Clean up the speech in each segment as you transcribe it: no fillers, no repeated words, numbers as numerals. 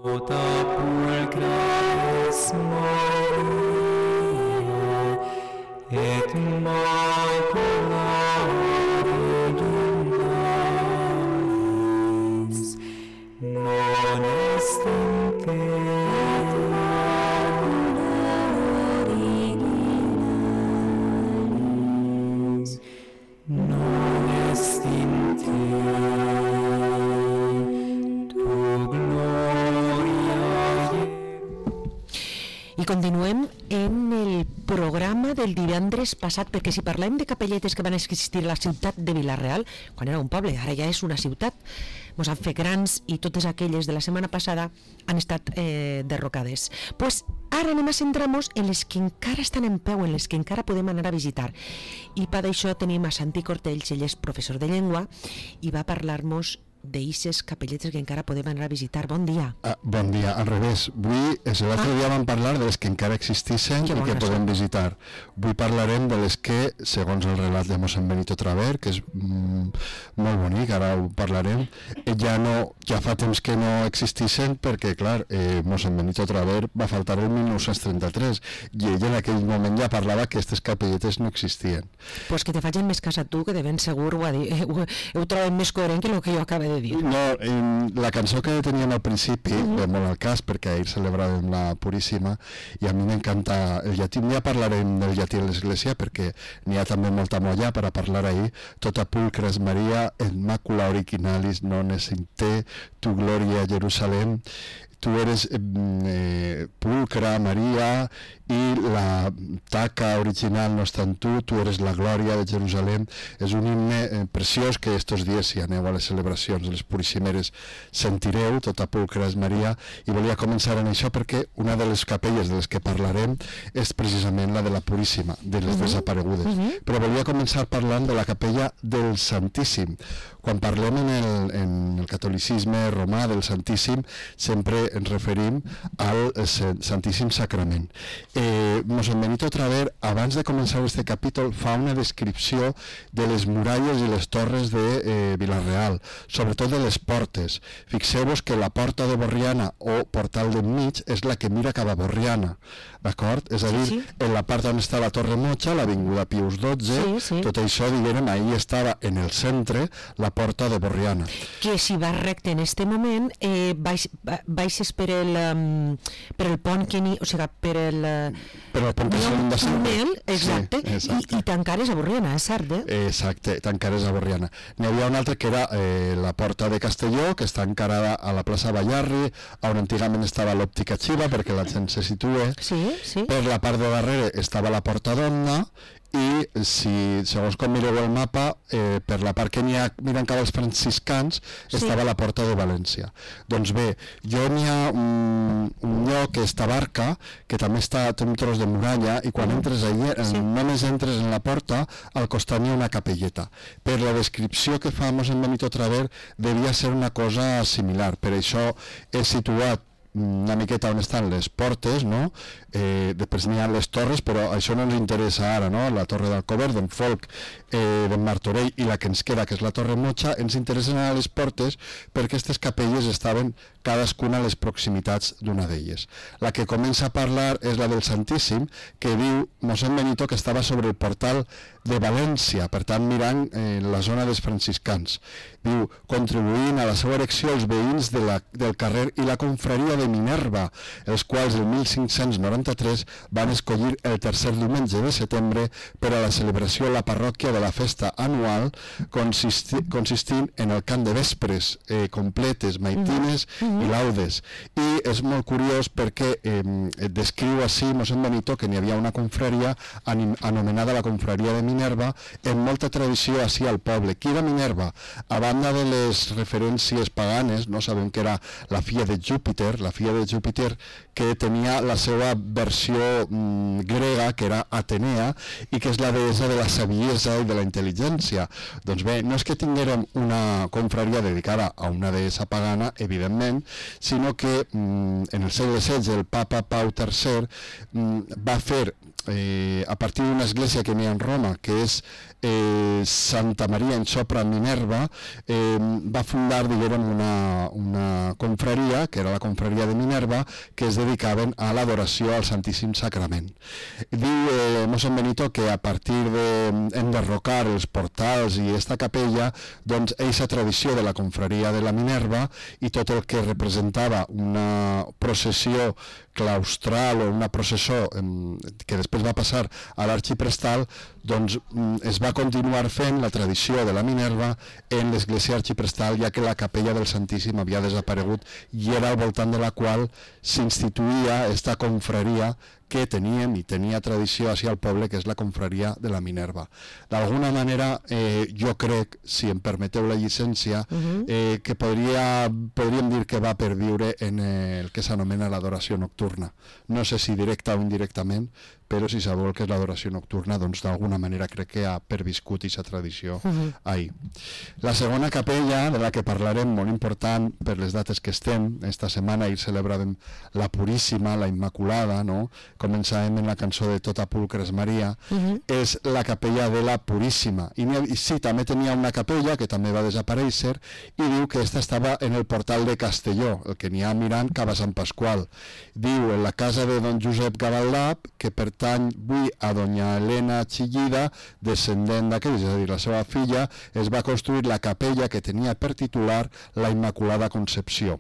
Tota pulcra es Maria, et maculare Dumnalis, non est in te originalis, non est in te tu gloria. I continuem en el programa del divendres passat, perquè si parlem de capelletes que van existir a la ciutat de Vila-real, quan era un poble, ara ja és una ciutat, ens han fet grans i totes aquelles de la setmana passada han estat derrocades. Pues ara anem a centrar-nos en les que encara estan en peu, en les que encara podem anar a visitar. I per això tenim a Santi Cortells, ell és professor de llengua i va parlar-nos d'eixes capelletes que encara podem anar a visitar. Bon dia. Bon dia, al revés. Avui, l'altre dia vam parlar de les que encara existissin i que podem visitar. Avui parlarem de les que, segons el relat de mossèn Benito Traver, que és molt bonic, ara ho parlarem, ja fa temps que no existissin perquè, clar, mossèn Benito Traver va faltar el 1933 i ell en aquell moment ja parlava que aquestes capelletes no existien. Pues que te facin més cas a tu, que de ben segur ho troben més coherent que el que jo acabo de dir. No, la cançó que teníem al principi, ve molt al cas, perquè ahir celebràvem la Puríssima, i a mi m'encanta el llatí. Ja parlarem del llatí a l'Església, perquè n'hi ha també molta molla per a parlar ahir. Tota pulcra es Maria, et macula originalis non est in te, tu gloria Jerusalem. Tu eres pulcra, Maria, i la taca original no està en tu eres la glòria de Jerusalem. És un himne preciós que estos dies, si aneu a les celebracions de les Puríssimeres, sentireu, tota pulcra és Maria, i volia començar en això perquè una de les capelles de les que parlarem és precisament la de la Puríssima, de les desaparegudes. Però volia començar parlant de la capella del Santíssim. Quan parlem en el catolicisme romà del Santíssim, sempre ens referim al Santíssim Sacrament. Mossèn Benito Traver, abans de començar aquest capítol, fa una descripció de les muralles i les torres de Vila-real, sobretot de les portes. Fixeu-vos que la porta de Borriana o portal d'enmig és la que mira cap a Borriana, d'acord? És a dir, en la part on està la Torre Mocha, l'avinguda Pius XII, tot això, diguem, ahí estava en el centre la porta de Borriana. Que si vas recte en este moment, baixes per el pont que n'hi, o sigui, per el pont que s'han de sempre. Exacte, i tancares a Borriana, és cert, Exacte, tancares a Borriana. N'hi havia una altra que era la porta de Castelló, que està encarada a la plaça Ballarri, on antigament estava l'òptica Xiva, perquè la gent se situa. Per la part de darrere estava la porta d'Onna, i si, segons com mireu el mapa, per la part que n'hi ha mirant cap als franciscans estava la porta de València. Doncs bé, n'hi ha un lloc que és Tabarca, que també té un tros de muralla, i quan entres allà, només entres en la porta, al costat n'hi ha una capelleta. Per la descripció que fa mossèn Benito Traver, devia ser una cosa similar. Per això he situat una miqueta on estan les portes, no? Després n'hi ha les torres, però això no ens interessa ara, no? La torre d'Alcover, d'en Folc, d'en Martorell, i la que ens queda, que és la Torre Mocha, ens interessen a les portes perquè aquestes capelles estaven cadascuna a les proximitats d'una d'elles. La que comença a parlar és la del Santíssim, que diu mossèn Benito que estava sobre el portal de València, per tant mirant la zona dels franciscans. Diu, contribuint a la seva erecció els veïns del carrer i la confraria de Minerva, els quals el 1593 van escollir el tercer diumenge de setembre per a la celebració a la parròquia de la festa anual, consistint en el cant de vespres completes, maitines i laudes. I és molt curiós perquè descriu així mossèn Benito que n'hi havia una confraria anomenada la confraria de Minerva, en molta tradició així al poble. Qui era Minerva? A banda de les referències paganes, no sabem que era la filla de Júpiter, que tenia la seva versió grega, que era Atenea, i que és la deessa de la saviesa i de la intel·ligència. Doncs bé, no és que tinguérem una confraria dedicada a una deessa pagana, evidentment, sinó que en el segle XVI el papa Pau III va fer, a partir d'una església que n'hi ha en Roma, que és Santa Maria in Sopra Minerva, va fundar, diguem, una confraria, que era la confraria de Minerva, que es dedicaven a l'adoració al Santíssim Sacrament. Diu mossèn Benito que a partir d'enderrocar els portals i esta capella, doncs eixa tradició de la confraria de la Minerva i tot el que representava una processió claustral o una processó que després va passar a l'arxiprestal, doncs es va continuar fent la tradició de la Minerva en l'església arxiprestal, ja que la capella del Santíssim havia desaparegut i era al voltant de la qual s'instituïa esta confraria que teníem i tenia tradició així al poble, que és la confraria de la Minerva. D'alguna manera, jo crec, si em permeteu la llicència, que podríem dir que va perviure en el que s'anomena l'adoració nocturna. No sé si directa o indirectament, però si sabeu que és l'adoració nocturna, doncs d'alguna manera crec que ha perviscut aquesta tradició ahí. La segona capella, de la que parlarem, molt important per les dates que estem, esta setmana hi celebràvem la Puríssima, la Immaculada, no? Començàvem en la cançó de Tota Pulcres Maria, és la capella de la Puríssima. I sí, també tenia una capella que també va desaparèixer i diu que esta estava en el portal de Castelló, el que n'hi ha mirant cap a Sant Pasqual. Diu, en la casa de don Josep Gavaldà, que pertany avui a doña Helena Chillida, descendent d'aquell, és a dir, la seva filla, es va construir la capella que tenia per titular la Immaculada Concepció.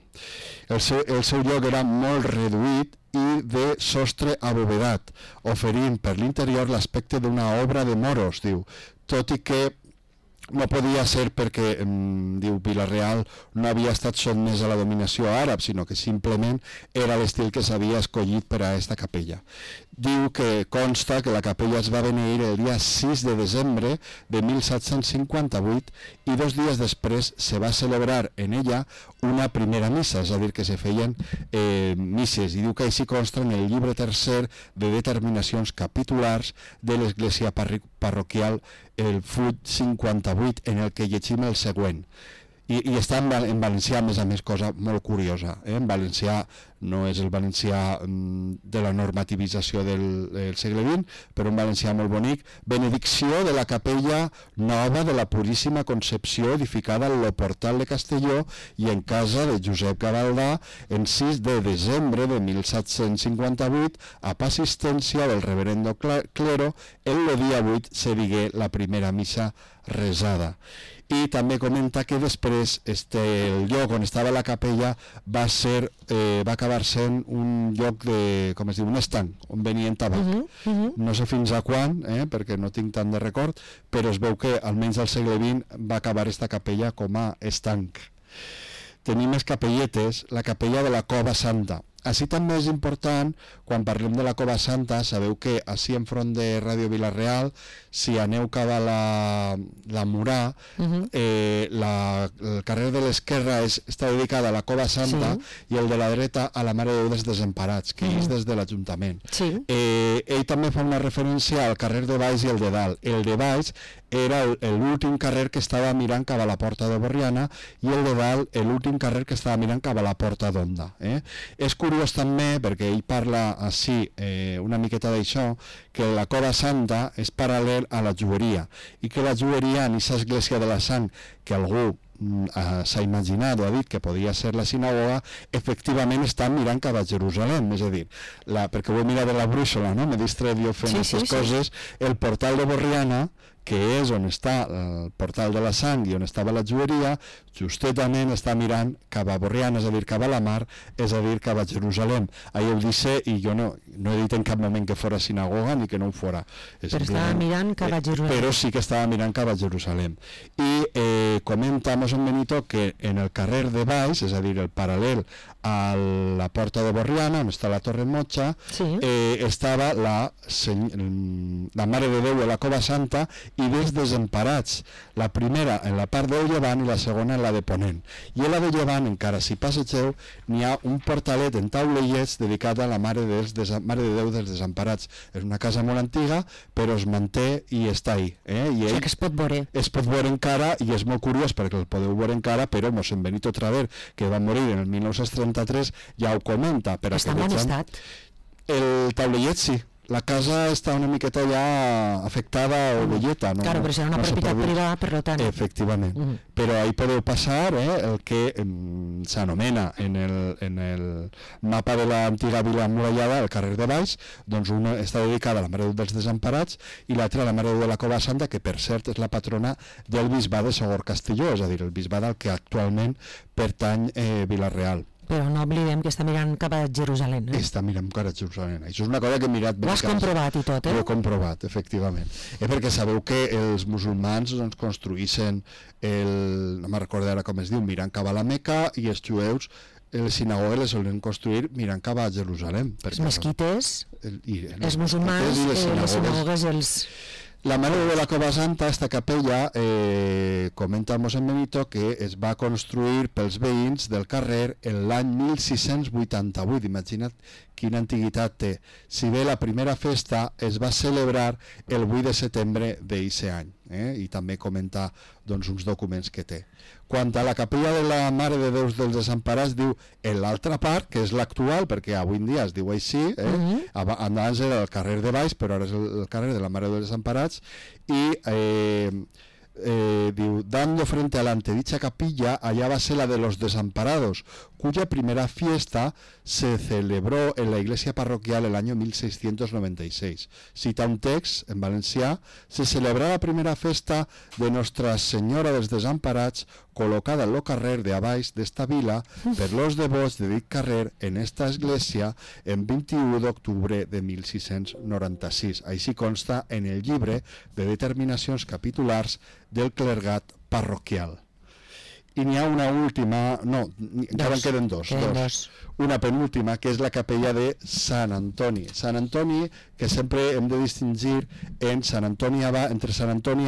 El seu lloc era molt reduït i de sostre abovedat, oferint per l'interior l'aspecte d'una obra de moros, diu, tot i que no podia ser perquè, diu, Vila-real no havia estat sotmès a la dominació àrab, sinó que simplement era l'estil que s'havia escollit per a aquesta capella. Diu que consta que la capella es va beneir el dia 6 de desembre de 1758 i 2 dies després se va celebrar en ella una primera missa, és a dir, que se feien misses, i diu que així consta en el llibre tercer de determinacions capitulars de l'església parroquial, el full 58, en el que llegim el següent. I està en valencià, a més, cosa molt curiosa. En valencià no és el valencià de la normativització del segle XX, però un valencià molt bonic. Benedicció de la capella nova de la Puríssima Concepció, edificada al portal de Castelló i en casa de Josep Gavaldà, en 6 de desembre de 1758, a assistència del reverendo clero, el dia 8 se digué la primera missa resada. I també comenta que després el lloc on estava la capella va acabar sent un lloc de, com es diu, un estanc, on venien tabac. No sé fins a quan, perquè no tinc tant de record, però es veu que almenys al segle XX va acabar esta capella com a estanc. Tenim més capelletes, la capella de la Cova Santa. Així també és important, quan parlem de la Cova Santa, sabeu que així enfront de Ràdio Vila-real, si aneu cap a la Murà, el carrer de l'esquerra està dedicat a la Cova Santa i el de la dreta a la Mare de Déu dels Desemparats, que és des de l'Ajuntament. Ell també fa una referència al carrer de baix i el de dalt. El de baix era l'últim carrer que estava mirant cap a la Porta de Borriana i el de dalt l'últim carrer que estava mirant cap a la Porta d'Onda. És curiós també, perquè ell parla així una miqueta d'això, que la Cova Santa és paral·lel a la Jueria i que la Jueria en aquesta església de la Sang que algú s'ha imaginat o ha dit que podia ser la sinagoga, efectivament està mirant cap a Jerusalem, és a dir, perquè ho he mirat de la brúixola, no? M'he distret jo fent aquestes coses, el portal de Borriana, que és on està el portal de la Sang i on estava la Jueria, justament està mirant cap a Borriana, és a dir, cap a la mar, és a dir, cap a Jerusalem. Ahir ho disse i jo no he dit en cap moment que fora sinagoga ni que no ho fora. Però estava mirant cap a Jerusalem. Però sí que estava mirant cap a Jerusalem. I comenta mossèn Benito que en el carrer de baix, és a dir, el paral·lel a la Porta de Borriana, on està la Torre Motxa, estava la Mare de Déu de la Cova Santa i dels Desemparats, la primera en la part del llevant i la segona en la de ponent. I a la de llevant, encara si passegeu, n'hi ha un portalet en taulellets dedicat a la Mare de Déu dels Desemparats. És una casa molt antiga, però es manté i està ahí. I que es pot veure. Es pot veure encara, i és molt curiós perquè el podeu veure encara, però mossèn Benito Traver, que va morir en el 1933, ja ho comenta. Està en bon estat? El taulellet sí, la casa està una miqueta ja afectada o velleta, no? Claro, però serà una propietat privada, per tant. Efectivament. Però ahí podeu passar el que s'anomena en el mapa de l'antiga vila emmurallada, el carrer de Baix, doncs una està dedicada a la Mare de Déu dels Desemparats i l'altra a la Mare de Déu de la Cova Santa, que per cert és la patrona del bisbat de Sogorb-Castelló, és a dir, el bisbat al que actualment pertany Vila-real. Però no oblidem que està mirant cap a Jerusalem. Està mirant cap a Jerusalem. Això és una cosa que he mirat... Ho has comprovat i tot, Ho he comprovat, efectivament. Perquè sabeu que els musulmans doncs, construïssin no me'n recordo ara com es diu, mirant cap a la Meca, i els jueus les sinagogues les solen construir mirant cap a Jerusalem. Els mesquites, els musulmans, les sinagogues, els... La Mare de la Cova Santa, esta capella, comenta el mossèn Benito que es va construir pels veïns del carrer en l'any 1688. Imagina't quina antiguitat té. Si bé la primera festa es va celebrar el 8 de setembre d'aquest any, i també comenta doncs, uns documents que té. Quant a la capella de la Mare de Déu dels Desemparats, diu en l'altra part, que és l'actual, perquè avui en dia es diu així, abans era el carrer de Baix, però ara és el carrer de la Mare de Déu dels Desemparats, i diu, dando frente a la antedicha capilla, allá va ser la de los desamparados, cuya primera fiesta se celebró en la iglesia parroquial el año 1696. Cita un text en valencià: se celebra la primera festa de Nostra Senyora dels Desamparats, colocada en lo carrer de abaix d'esta vila per los devots de dit carrer en esta església en 21 d'octubre de 1696. Així consta en el llibre de determinacions capitulars del clergat parroquial. I n'hi ha una última, no, encara en queden dos. Una penúltima, que és la capella de Sant Antoni. Sant Antoni, que sempre hem de distingir entre Sant Antoni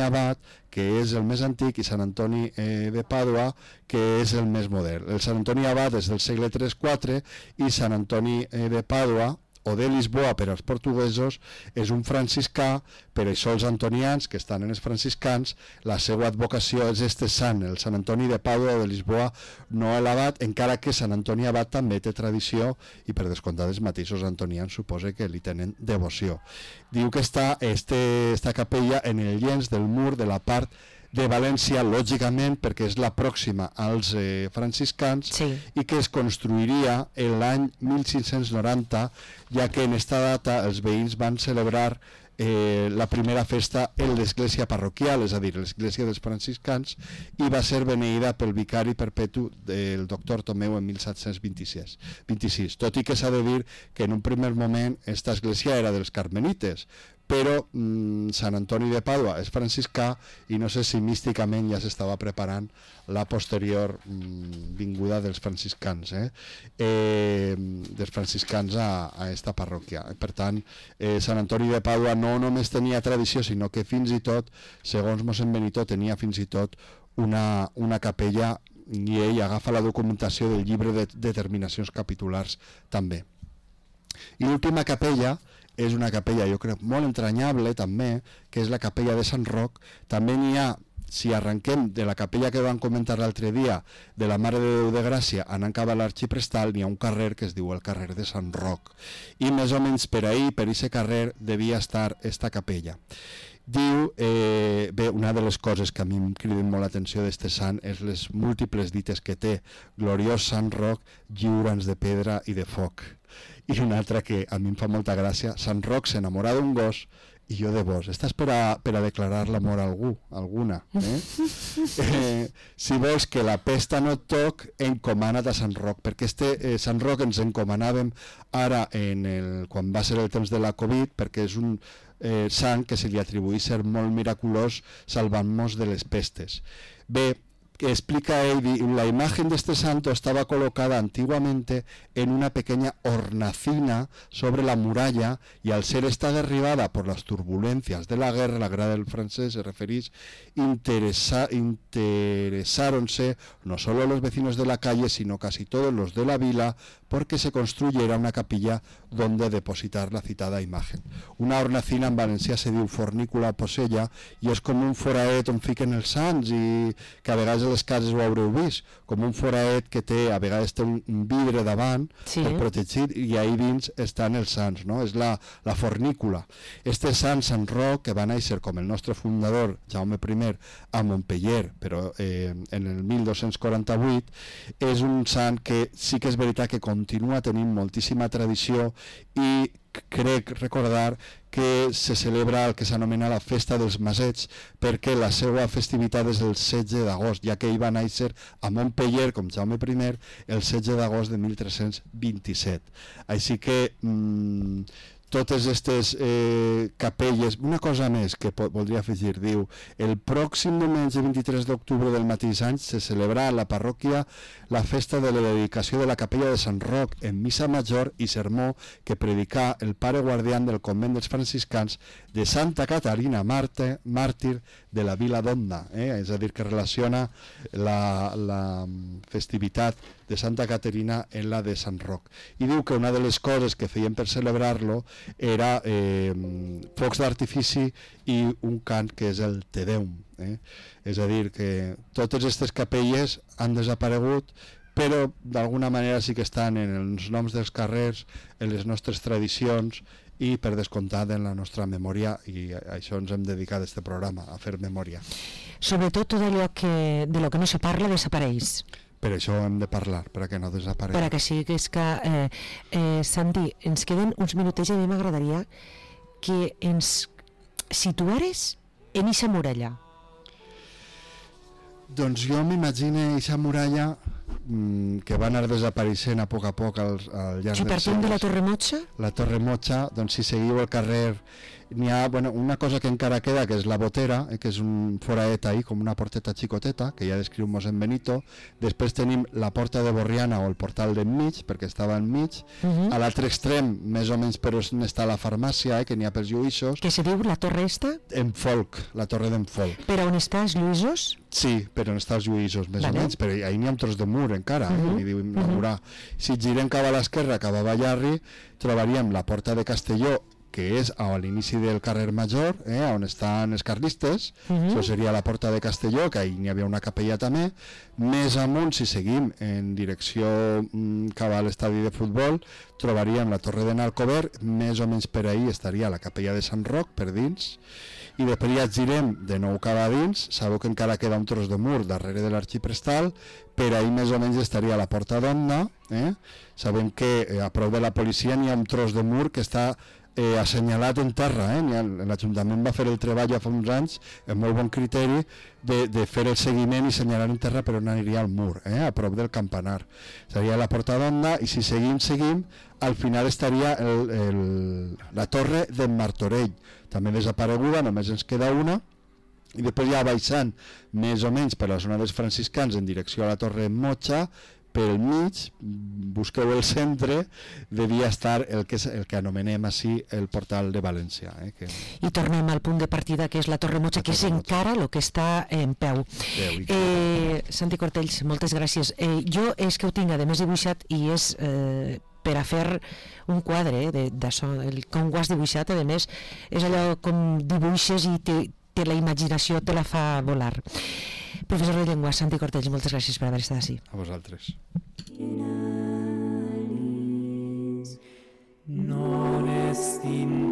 Abat, que és el més antic, i Sant Antoni de Pàdua, que és el més modern. El Sant Antoni Abat és del segle III-IV i Sant Antoni de Pàdua, o de Lisboa per als portuguesos, és un franciscà. Per això els antonians, que estan en els franciscans, la seva advocació és este sant, el Sant Antoni de Pàdua o de Lisboa, no l'abat, encara que Sant Antoni Abat també té tradició i per descomptat els mateixos antonians suposa que li tenen devoció. Diu que està esta capella en el llenç del mur de la part de València, lògicament, perquè és la pròxima als franciscans, i que es construiria l'any 1590, ja que en esta data els veïns van celebrar la primera festa en l'església parroquial, és a dir, l'església dels franciscans, i va ser beneïda pel vicari perpetu del doctor Tomeu en 1726. Tot i que s'ha de dir que en un primer moment esta església era dels carmelites, però Sant Antoni de Pàdua és franciscà i no sé si místicament ja s'estava preparant la posterior vinguda dels franciscans a esta parròquia. Per tant, Sant Antoni de Pàdua no només tenia tradició, sinó que fins i tot, segons mossèn Benito, tenia fins i tot una capella, i ell agafa la documentació del llibre de determinacions capitulars també. I l'última capella és una capella, jo crec, molt entranyable també, que és la capella de Sant Roc. També n'hi ha, si arrenquem de la capella que vam comentar l'altre dia, de la Mare de Déu de Gràcia, anant cap a l'Arxiprestal, n'hi ha un carrer que es diu el carrer de Sant Roc. I més o menys per ahí, per aquest carrer, devia estar esta capella. Diu, bé, una de les coses que a mi em criden molt l'atenció d'este sant és les múltiples dites que té: gloriós Sant Roc, lliura'ns de pedra i de foc. I una altra que a mi em fa molta gràcia: Sant Roc s'enamora d'un gos i jo de vos. Estàs per a declarar l'amor a alguna. Si vols que la pesta no et toc, encomana't a Sant Roc, perquè Sant Roc ens encomanàvem ara quan va ser el temps de la Covid, perquè és un sant que se li atribuïx ser molt miraculós salvant-nos de les pestes. Bé, que explica él, la imagen de este santo estaba colocada antiguamente en una pequeña hornacina sobre la muralla, y al ser esta derribada por las turbulencias de la guerra del francés, se referís, interesáronse no solo los vecinos de la calle, sino casi todos los de la vila, porque se construyera una capilla donde depositar la citada imagen. Una hornacina en valencià se diu fornícula posella, i és com un foraet on fiquen els sants, i que a vegades de les cases ho haureu vist, com un foraet que té, a vegades té un vidre davant per protegir, i ahí dins estan els sants, no? És la fornícula. Este sant Roc, que va néixer com el nostre fundador Jaume I a Montpeller, però en el 1248, és un sant que sí que és veritat que continua tenint moltíssima tradició, i crec recordar que se celebra el que s'anomena la Festa dels Masets, perquè la seva festivitat és el 16 d'agost, ja que ell va néixer a Montpeller, com Jaume I, el 16 d'agost de 1327. Així que totes aquestes capelles. Una cosa més que voldria afegir, diu: el pròxim diumenge 23 d'octubre del mateix any se celebra a la parròquia la festa de la dedicació de la capella de Sant Roc, en missa major i sermó que predicà el pare guardián del convent dels franciscans de Santa Caterina, màrtir de la vila d'Onda, és a dir, que relaciona la festivitat de Santa Caterina en la de Sant Roc. I diu que una de les coses que feien per celebrar-lo era focs d'artifici i un cant que és el Te Deum. És a dir, que totes aquestes capelles han desaparegut, però d'alguna manera sí que estan en els noms dels carrers, en les nostres tradicions i, per descomptat, en la nostra memòria, i a això ens hem dedicat este programa, a fer memòria. Sobretot tot allò de lo que no se parla desapareix. Per això hem de parlar, perquè no desaparegui. Perquè sí, que és que, Santi, ens queden uns minutets i a mi m'agradaria que ens situares en eixa muralla. Doncs jo m'imagino eixa muralla que va anar desapareixent a poc al llarg dels segles. Si partim de la Torre Motxa? La Torre Motxa, doncs si seguiu el carrer, n'hi ha una cosa que encara queda, que és la Botera, que és un foraet ahí, com una porteta xicoteta, que ja descriu mossèn Benito. Després tenim la Porta de Borriana, o el portal d'enmig, perquè estava enmig. A l'altre extrem, més o menys per on està la farmàcia, que n'hi ha pels Lluïssos. Que se diu la torre esta? En Folk, la torre d'en Folk. Per on està els Lluïssos? Sí, per on està els Lluïssos, més o menys, però ahí n'hi ha un tros de mur encara, i diu inaugurar. Si girem cap a l'esquerra, cap a Ballarri, trobaríem la Porta de Castelló, que és a l'inici del carrer Major, on estan els carlistes. Això seria la Porta de Castelló, que ahí n'hi havia una capella també. Més amunt, si seguim en direcció cap a l'estadi de futbol, trobaríem la Torre de Alcover, més o menys per ahí estaria la capella de Sant Roc, per dins, i després ja girem de nou cap a dins. Sabeu que encara queda un tros de mur darrere de l'Arxiprestal, per ahí més o menys estaria la Porta d'Onda. Sabem que a prop de la policia n'hi ha un tros de mur que està assenyalat en terra. L'Ajuntament va fer el treball ja fa uns anys amb molt bon criteri de fer el seguiment i assenyalar en terra per on aniria el mur, a prop del campanar. Seria la Porta d'Onda, i si seguim, al final estaria la Torre d'en Martorell, també desapareguda, només ens queda una. I després ja baixant més o menys per la zona dels franciscans en direcció a la Torre Motxa, pel mig, busqueu el centre, devia estar el que anomenem així el portal de València. I tornem al punt de partida, que és la Torre Motxa, que és encara el que està en peu. Santi Cortells, moltes gràcies. Jo és que ho tinc, a més, dibuixat, i és per a fer un quadre d'això, com ho has dibuixat, a més, és allò com dibuixes i té la imaginació, te la fa volar. Professor de Llengua, Santi Cortells, moltes gràcies per haver estat així. A vosaltres. Non est in